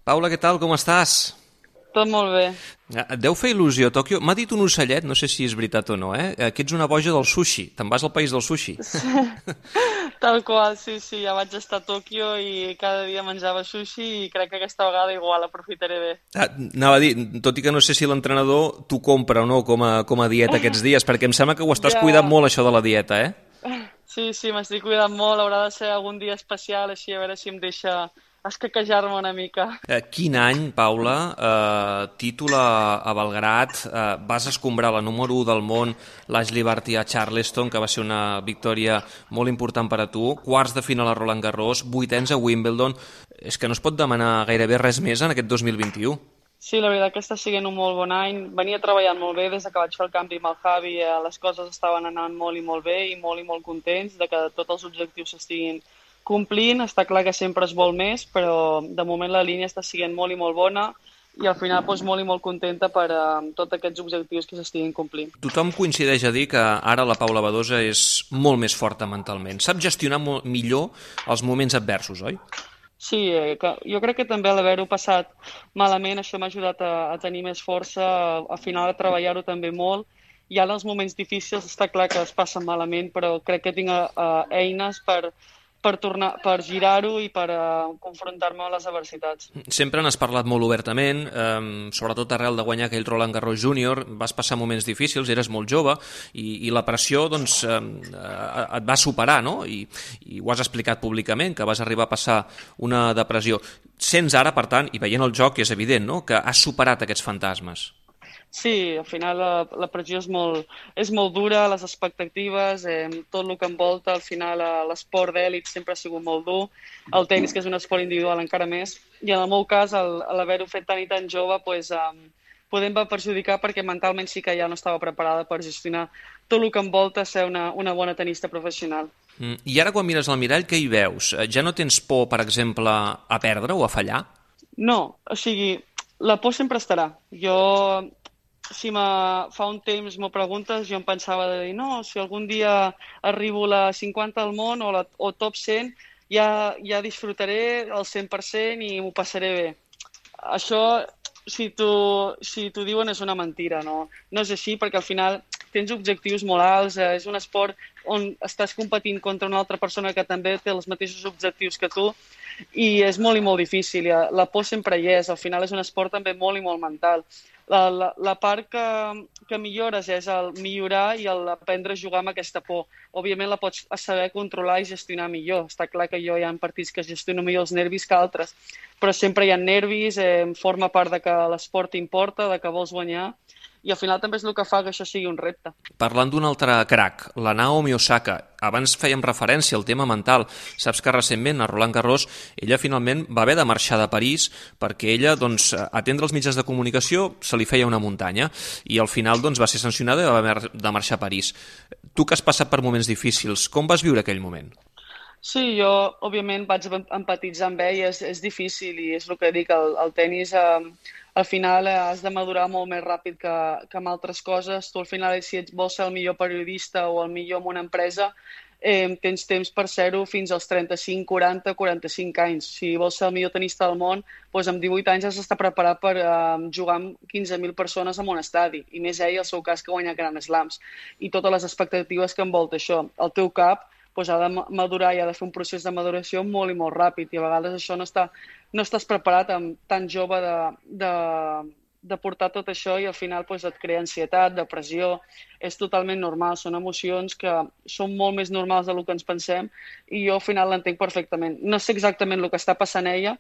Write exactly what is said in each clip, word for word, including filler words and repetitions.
Paula, què tal? Com estàs? Tot molt bé. Et deu fer il·lusió Tòquio? M'ha dit un ocellet, no sé si és veritat o no, eh? Que ets una boja del sushi. Te'n vas al país del sushi. Tal qual, sí, sí, ja vaig estar a Tòquio i cada dia menjava sushi i crec que aquesta vegada igual aprofitaré bé. Ah, anava a dir, tot i que no sé si l'entrenador t'ho compra o no com a, com a dieta aquests dies, perquè em sembla que ho estàs cuidant Ja, molt, això de la dieta, eh? sí, sí, m'estic cuidant molt, haurà de ser algun dia especial, així a veure si em deixa escaquejar-me una mica. Eh, quin any, Paula, eh, títol a, a Belgrat, eh, vas escombrar la número u del món, l'Ashley Barty a Charleston, que va ser una victòria molt important per a tu, quarts de final a Roland Garros, vuitens a Wimbledon. És que no es pot demanar gairebé res més en aquest dos mil vint-i-u. Sí, la veritat que està sent un molt bon any. Venia treballant molt bé des que vaig fer el canvi amb el Javi. Eh, les coses estaven anant molt i molt bé i molt i molt contents de que tots els objectius s'estiguin complint. Està clar que sempre es vol més, però de moment la línia està sent molt i molt bona i al final doncs, molt i molt contenta per eh, tots aquests objectius que s'estiguin complint. Tothom coincideix a dir que ara la Paula Badosa és molt més forta mentalment. Sap gestionar molt millor els moments adversos, oi? Sí, eh, que jo crec que també l'haver-ho passat malament, això m'ha ajudat a, a tenir més força, a, a final de treballar-ho també molt. I ara els moments difícils està clar que es passen malament, però crec que tinc uh, eines per, per, tornar, per girar-ho i per uh, confrontar-me amb les adversitats. Sempre n'has parlat molt obertament, eh, sobretot arrel de guanyar aquell Roland Garros júnior, vas passar moments difícils, eres molt jove, i, i la pressió doncs, eh, et va superar, no? I, I ho has explicat públicament, que vas arribar a passar una depressió. Sents ara, per tant, i veient el joc és evident, no?, que has superat aquests fantasmes. Sí, al final la, la pressió és molt, és molt dura, les expectatives, eh, tot el que envolta, al final eh, l'esport d'èlit sempre ha sigut molt dur, el tenis, que és un esport individual, encara més, i en el meu cas, l'haver-ho fet tan i tan jove, pues, eh, podem va perjudicar perquè mentalment sí que ja no estava preparada per gestionar tot el que envolta ser una, una bona tenista professional. Mm. I ara quan mires al mirall, què hi veus? Ja no tens por, per exemple, a perdre o a fallar? No, o sigui, la por sempre estarà. Jo si me, fa un temps m'ho preguntes, jo em pensava de dir, no, si algun dia arribo a la cinquanta al món o, la, o top cent, ja, ja disfrutaré el cent per cent i m'ho passaré bé. Això, si t'ho si t'ho diuen, és una mentira, no? No és així, perquè al final tens objectius molt alts, eh, és un esport on estàs competint contra una altra persona que també té els mateixos objectius que tu i és molt i molt difícil, la por sempre hi és, al final és un esport també molt i molt mental. La, la, la part que, que millores és el millorar i el aprendre a jugar amb aquesta por. Òbviament la pots saber controlar i gestionar millor. Està clar que jo hi ha partits que gestiono millor els nervis que altres, però sempre hi ha nervis, eh, forma part de que l'esport t'importa, de que vols guanyar, i al final també és el que fa que això sigui un repte. Parlant d'un altre crac, la Naomi Osaka, abans fèiem referència al tema mental. Saps que recentment a Roland Garros ella finalment va haver de marxar de París perquè ella, doncs, atendre els mitjans de comunicació se li feia una muntanya i al final doncs, va ser sancionada i va haver de marxar a París. Tu que has passat per moments difícils, com vas viure aquell moment? Sí, jo, òbviament, vaig empatitzar amb ell, és, és difícil i és el que dic, el, el tenis, eh, al final eh, has de madurar molt més ràpid que, que amb altres coses. Tu al final, si ets, vols ser el millor periodista o el millor en una empresa, eh, tens temps per ser-ho fins als trenta-cinc, quaranta, quaranta-cinc anys. Si vols ser el millor tenista del món, doncs amb divuit anys has d'estar preparat per eh, jugar amb quinze mil persones en un estadi, i més ell, el seu cas, que guanya Grand Slams, i totes les expectatives que envolta això. El teu cap doncs ha de madurar i ha de fer un procés de maduració molt i molt ràpid i a vegades això no, està, no estàs preparat amb tan jove de, de, de portar tot això i al final doncs, et crea ansietat, depressió, és totalment normal, són emocions que són molt més normals del que ens pensem i jo al final l'entenc perfectament. No sé exactament el que està passant a ella,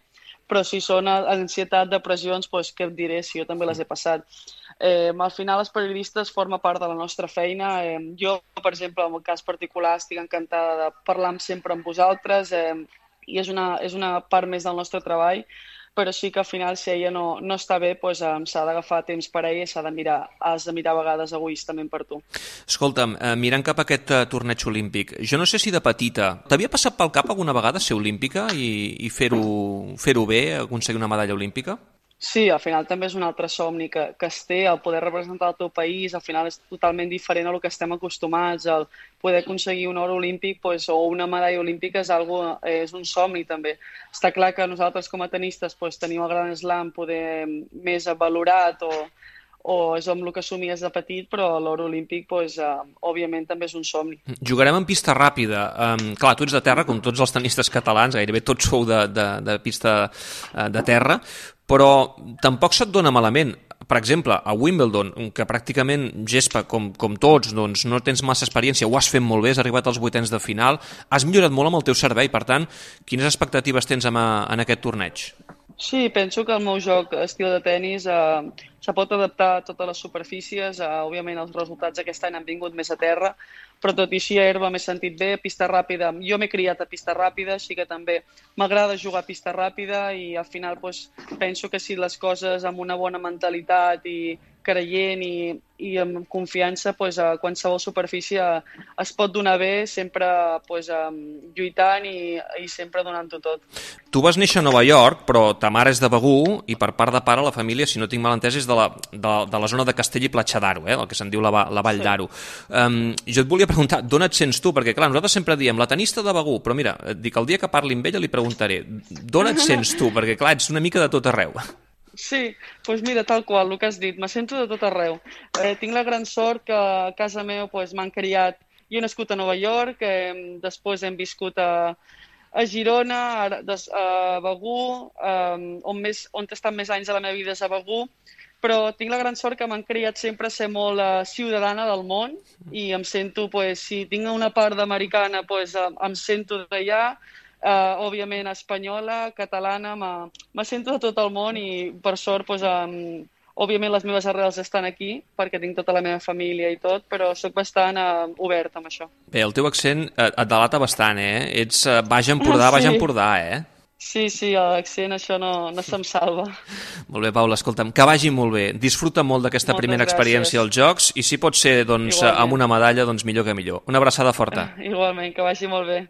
però si són ansietat, depressions, doncs què et diré si jo també les he passat. Eh, al final els periodistes forma part de la nostra feina. Eh, jo, per exemple, en el cas particular, estic encantada de parlar sempre amb vosaltres eh, i és una, és una part més del nostre treball, però sí que al final si ella no, no està bé doncs, eh, s'ha d'agafar temps per ella i s'ha de mirar, has de mirar a vegades egoistament per tu. Escolta'm, eh, mirant cap a aquest eh, torneig olímpic, jo no sé si de petita t'havia passat pel cap alguna vegada ser olímpica i, i fer-ho fer-ho bé, aconseguir una medalla olímpica? Sí, al final també és un altre somni que, que es té, el poder representar el teu país, al final és totalment diferent a lo que estem acostumats, el poder aconseguir un or olímpic pues, o una medalla olímpica és, algo, és un somni també. Està clar que nosaltres com a tenistes pues, tenim el Gran Slam poder més valorat o, o és amb el que somies de petit, però l'or olímpic, pues, eh, òbviament, també és un somni. Jugarem en pista ràpida. Um, clar, tu ets de terra, com tots els tenistes catalans, gairebé tots sou de, de, de pista uh, de terra, però tampoc se't dona malament. Per exemple, a Wimbledon, que pràcticament gespa com, com tots, doncs no tens massa experiència, ho has fet molt bé, has arribat als vuitens de final, has millorat molt amb el teu servei, per tant, quines expectatives tens en, en aquest torneig? Sí, penso que el meu joc, estil de tennis, eh, se pot adaptar a totes les superfícies. Eh, òbviament els resultats aquest any han vingut més a terra, però tot i així a herba m'he sentit bé, a pista ràpida. Jo m'he criat a pista ràpida, així que també m'agrada jugar a pista ràpida i al final pues, penso que si les coses amb una bona mentalitat i creient i, i amb confiança, pues, a qualsevol superfície es pot donar bé, sempre pues, lluitant i, i sempre donant-ho tot. Tu vas néixer a Nova York, però ta mare és de Begur i per part de pare la família, si no tinc mal entès, és de la, de, de la zona de Castell i Platja d'Aro, eh, el que se'n diu la, la Vall sí. d'Aro. Um, jo et volia preguntar, d'on et sents tu? Perquè clar, nosaltres sempre diem la tenista de Begur, però mira, et dic, el dia que parli amb ella li preguntaré, d'on et sents tu? Perquè clar, ets una mica de tot arreu. Sí, doncs mira, tal qual, el que has dit, me sento de tot arreu. Eh, tinc la gran sort que a casa meva pues, m'han criat, jo he nascut a Nova York, eh, després hem viscut a, a Girona, a, a Begur, eh, on, més, on he estat més anys de la meva vida és a Begur, però tinc la gran sort que m'han criat sempre a ser molt uh, ciutadana del món i em sento, pues, si tinc una part d'americana, pues, uh, em sento d'allà, Uh, òbviament espanyola, catalana, me sento de tot el món i per sort, pues, um, òbviament les meves arrels estan aquí perquè tinc tota la meva família i tot, però sóc bastant uh, oberta amb això. Bé, el teu accent et delata bastant, eh? Ets uh, Baix Empordà, sí. Baix Empordà, eh? Sí, sí, l'accent això no, no se'm salva. Molt bé, Paula, escolta'm, que vagi molt bé. Disfruta molt d'aquesta primera experiència als Jocs i si pot ser doncs, amb una medalla, doncs millor que millor. Una abraçada forta. Igualment, que vagi molt bé.